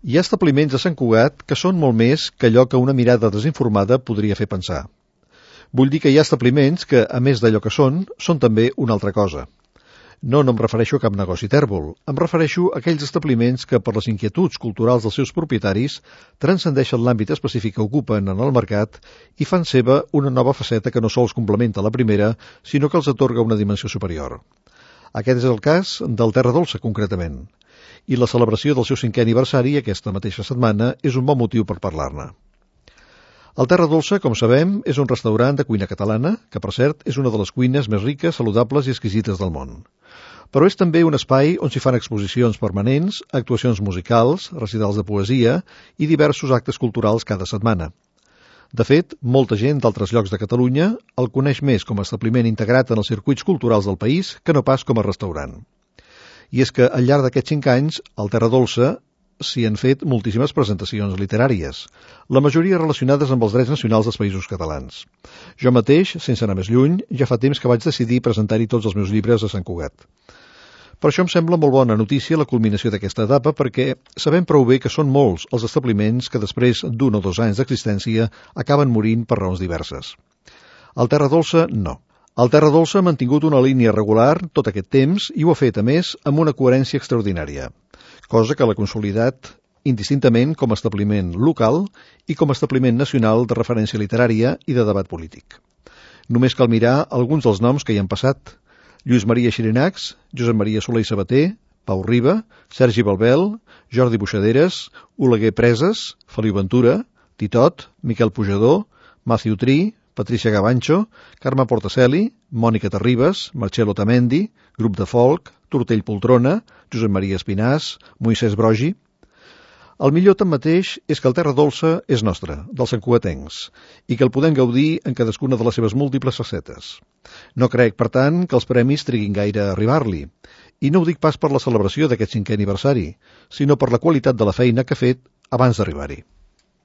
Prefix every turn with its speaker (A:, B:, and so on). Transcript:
A: Hi ha establiments a Sant Cugat que són molt més que allò que una mirada desinformada podria fer pensar. Vull dir que hi ha establiments que, a més d'allò que són també una altra cosa. No em refereixo a cap negoci tèrbol. Em refereixo a aquells establiments que, per les inquietuds culturals dels seus propietaris, transcendeixen l'àmbit específic que ocupen en el mercat i fan seva una nova faceta que no sols complementa la primera, sinó que els atorga una dimensió superior. Aquest és el cas del Terra Dolça, concretament. I la celebració del seu 5è aniversari aquesta mateixa setmana és un bon motiu per parlar-ne. El Terra Dolça, com sabem, és un restaurant de cuina catalana, que, per cert, és una de les cuines més riques, saludables i exquisites del món. Però és també un espai on s'hi fan exposicions permanents, actuacions musicals, recitals de poesia i diversos actes culturals cada setmana. De fet, molta gent d'altres llocs de Catalunya el coneix més com a establiment integrat en els circuits culturals del país que no pas com a restaurant. I és que, al llarg d'aquests 5 anys, al Terra Dolça s'hi han fet moltíssimes presentacions literàries, la majoria relacionades amb els drets nacionals dels països catalans. Jo mateix, sense anar més lluny, ja fa temps que vaig decidir presentar-hi tots els meus llibres a Sant Cugat. Per això em sembla molt bona notícia la culminació d'aquesta etapa perquè sabem prou bé que són molts els establiments que després d'1 o 2 anys d'existència acaben morint per raons diverses. El Terra Dolça, no. El Terra Dolça ha mantingut una línia regular tot aquest temps i ho ha fet, a més, amb una coherència extraordinària, cosa que l'ha consolidat indistintament com a establiment local i com a establiment nacional de referència literària i de debat polític. Només cal mirar alguns dels noms que hi han passat: Lluís Maria Xirinacs, Josep Maria Soler i Sabater, Pau Riba, Sergi Balbel, Jordi Buixaderes, Oleguer Preses, Feliu Ventura, Titot, Miquel Pujador, Matthew Tree, Patricia Gavancho, Carme Portacelli, Mònica Terribas, Marcello Tamendi, Grup de Folk, Tortell Poltrona, Josep Maria Espinàs, Moisès Brogi. El millor, tanmateix, és que el Terra Dolça és nostre, dels santcugatencs, i que el podem gaudir en cadascuna de les seves múltiples facetes. No crec, per tant, que els premis triguin gaire a arribar-li, i no ho dic pas per la celebració d'aquest 5è aniversari, sinó per la qualitat de la feina que ha fet abans d'arribar-hi.